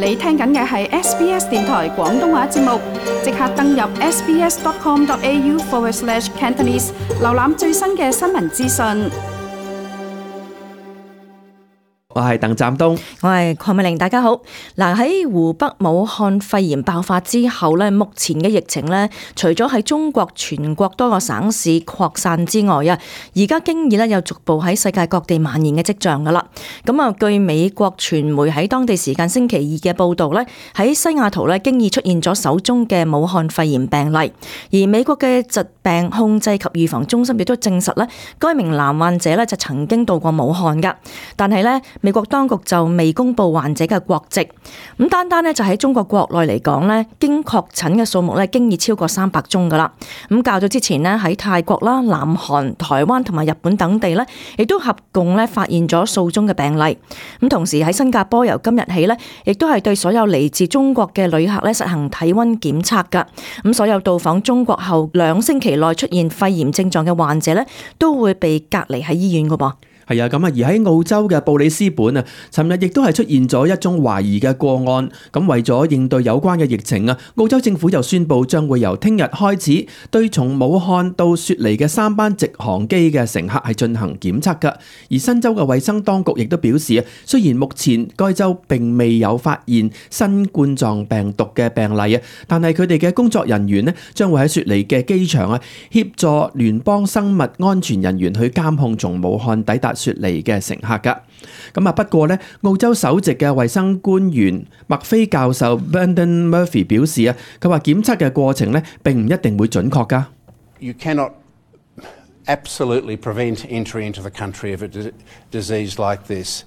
你聽緊嘅係 SBS 電台廣東話節目，即刻登入 sbs.com.au/Cantonese 瀏覽最新嘅新聞資訊。我係鄧湛東，我係鄺美玲，大家好。嗱，喺湖北武漢肺炎爆發之後咧，目前嘅疫情咧，除咗喺中國全國多個省市擴散之外啊，而家經已咧有逐步喺世界各地蔓延嘅跡象噶啦。咁啊，據美國傳媒喺當地時間星期二嘅報道咧，喺西雅圖咧經已出現咗首宗嘅武漢肺炎病例，而美國嘅疾病控制及預防中心亦都證實咧，該名男患者咧就曾經到過武漢噶，但係咧，美國當局就未公布患者嘅國籍，咁單咧就喺中國國內嚟講咧，經確診嘅數目咧，經已超過300宗噶啦。咁較早之前咧，喺泰國啦、南韓、台灣同埋日本等地咧，亦都合共咧發現咗數宗嘅病例。咁同時喺新加坡由今日起咧，亦都係對所有嚟自中國嘅旅客咧實行體溫檢測噶。咁所有到訪中國後2星期內出現肺炎症狀嘅患者咧，都會被隔離喺醫院噶噃。係啊，咁啊，而喺澳洲嘅布里斯本啊，尋日亦都係出現咗一宗懷疑嘅個案。咁為咗應對有關嘅疫情啊，澳洲政府就宣布將會由聽日開始對從武漢到雪梨嘅3班直航機嘅乘客係進行檢測㗎。而新州嘅衛生當局亦都表示啊，雖然目前該州並未有發現新冠狀病毒嘅病例啊，但係佢哋嘅工作人員呢將會喺雪梨嘅機場啊協助聯邦生物安全人員去監控從武漢抵達雪梨嘅乘客噶。咁啊，不過咧，澳洲首席嘅衛生官員麥菲教授 Brendan Murphy 表示啊，佢話檢測嘅過程咧並唔一定會準確噶。You cannot absolutely prevent entry into the country of a disease like this.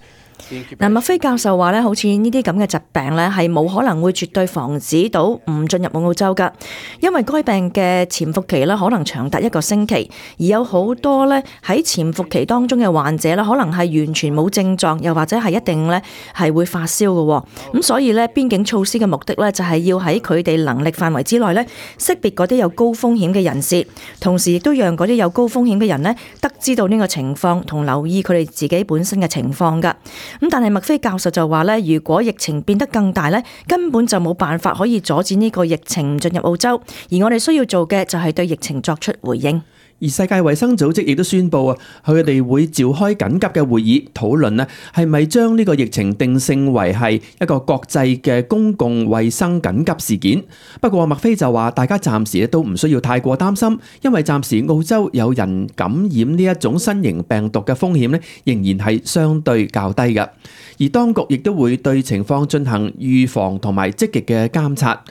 嗱，麥菲教授話咧，好似呢啲咁嘅疾病咧，係冇可能會絕對防止到唔進入澳洲噶，因為該病嘅潛伏期咧可能長達1個星期，而有好多咧喺潛伏期當中嘅患者咧，可能係完全冇症狀，又或者係一定咧係會發燒嘅。咁所以咧，邊境措施嘅目的咧，就係要喺佢哋能力範圍之內咧，識別嗰啲有高風險嘅人士，同時亦都讓嗰啲有高風險嘅人咧，得知到呢個情況，同留意佢哋自己本身嘅情況噶。咁但係麥菲教授就話咧，如果疫情變得更大咧，根本就冇辦法可以阻止呢個疫情唔進入澳洲，而我哋需要做嘅就係對疫情作出回應。而世界衛生組織亦都宣布啊，佢哋會召開緊急嘅會議討論咧，係咪將呢個疫情定性為係一個國際嘅公共衛生緊急事件。不過麥菲就話，大家暫時都唔需要太過擔心，因為暫時澳洲有人感染呢一種新型病毒嘅風險咧，仍然係相對較低嘅。而當局亦都會對情況進行預防同埋積極嘅監察。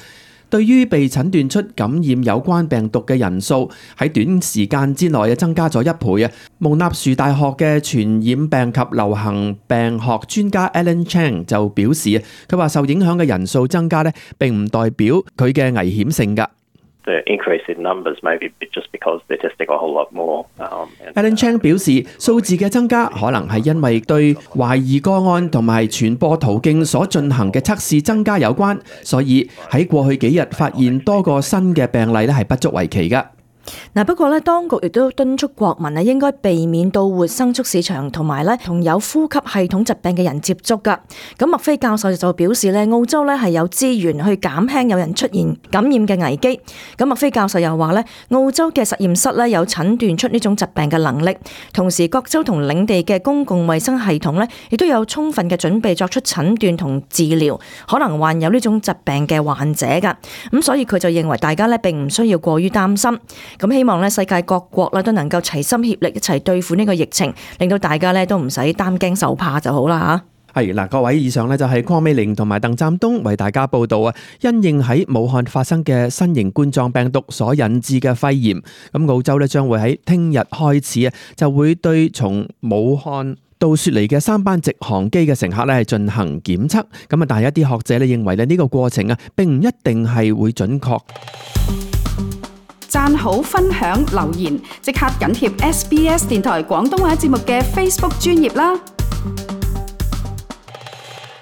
對於被診斷出感染有關病毒嘅人數喺短時間之內增加咗1倍啊！蒙納殊大學嘅傳染病及流行病學專家 Alan Chang 就表示啊，佢話受影響嘅人數增加咧，並唔代表佢嘅危險性㗎。The increase in numbers may be just because they're testing a whole lot more. Alan Chang 表示，數字嘅增加可能係因為對懷疑個案同埋傳播途徑所進行嘅測試增加有關，所以喺過去幾日發現多個新嘅病例咧係不足為奇㗎。嗱，不過咧，當局亦都敦促國民應該避免到活牲畜市場同埋咧同有呼吸系統疾病嘅人接觸噶。咁麥菲教授就表示咧，澳洲咧係有資源去減輕有人出現感染嘅危機。咁麥菲教授又話咧，澳洲嘅實驗室咧有診斷出呢種疾病嘅能力，同時各州同領地嘅公共衛生系統咧亦都有充分嘅準備作出診斷同治療可能患有呢種疾病嘅患者噶。咁所以佢就認為大家咧並唔需要過於擔心。咁希望咧世界各國咧都能夠齊心協力一齊對付呢個疫情，令到大家咧都唔使擔驚受怕就好啦吓。係嗱，各位，以上咧就係鄺美玲同埋鄧湛東為大家報道啊。因應喺武漢發生嘅新型冠狀病毒所引致嘅肺炎，咁澳洲咧將會喺聽日開始啊，就會對從武漢到雪梨嘅3班直航機嘅乘客咧係進行檢測。咁啊，但係一啲學者咧認為咧呢個過程啊並唔一定係會準確。讚好、分享、留言，即刻緊貼SBS 電台廣東話節目嘅 Facebook 專頁啦！